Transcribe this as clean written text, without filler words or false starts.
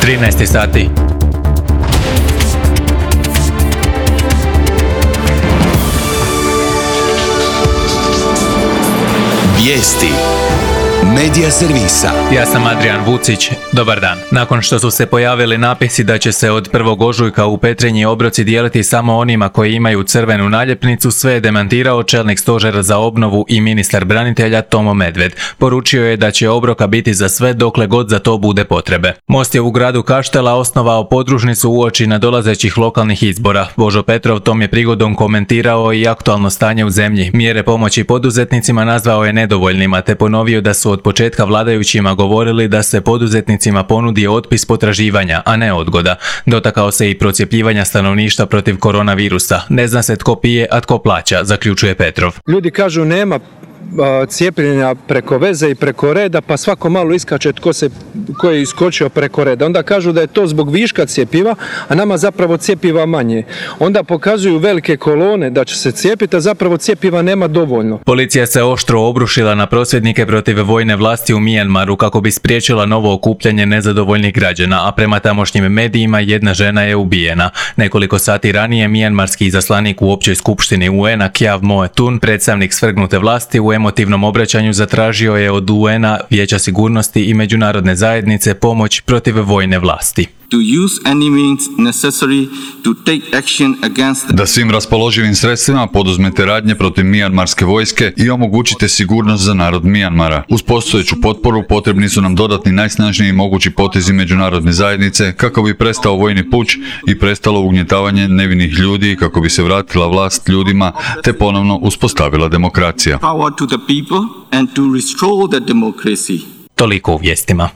13 sati. Vijesti Medija servisa. Ja sam Adrian Vucić. Dobar dan. Nakon što su se pojavili napisi da će se od 1. ožujka u Petrinji obroci dijeliti samo onima koji imaju crvenu naljepnicu, sve je demantirao čelnik stožera za obnovu i ministar branitelja Tomo Medved. Poručio je da će obroka biti za sve dokle god za to bude potrebe. Most je u gradu Kaštela osnovao podružnicu uoči nadolazećih lokalnih izbora. Božo Petrov tom je prigodom komentirao i aktualno stanje u zemlji. Mjere pomoći poduzetnicima nazvao je nedovoljnima, te ponovio da su od početka vladajućima govorili da se poduzetnicima ponudi otpis potraživanja, a ne odgoda. Dotakao se i procjepljivanja stanovništva protiv koronavirusa. Ne zna se tko pije, a tko plaća, zaključuje Petrov. Ljudi kažu nema cijepljenja preko veze i preko reda, pa svako malo iskače ko je iskočio preko reda. Onda kažu da je to zbog viška cjepiva, a nama zapravo cjepiva manje. Onda pokazuju velike kolone da će se cijepiti, a zapravo cjepiva nema dovoljno. Policija se oštro obrušila na prosvjednike protiv vojne vlasti u Mijanmaru kako bi spriječila novo okupljanje nezadovoljnih građana, a prema tamošnjim medijima jedna žena je ubijena. Nekoliko sati ranije mijanmarski izaslanik u općoj skupštini UN-a Kyaw Moe Tun, predstavnik svrgnute vlasti, u emotivnom obraćanju zatražio je od UN-a, Vijeća sigurnosti i međunarodne zajednice pomoć protiv vojne vlasti. Da svim raspoloživim sredstvima poduzmete radnje protiv mijanmarske vojske i omogućite sigurnost za narod Mijanmara. Uz postojeću potporu potrebni su nam dodatni najsnažniji mogući potezi međunarodne zajednice kako bi prestao vojni puč i prestalo ugnjetavanje nevinih ljudi, kako bi se vratila vlast ljudima te ponovno uspostavila demokracija. Toliko u vijestima.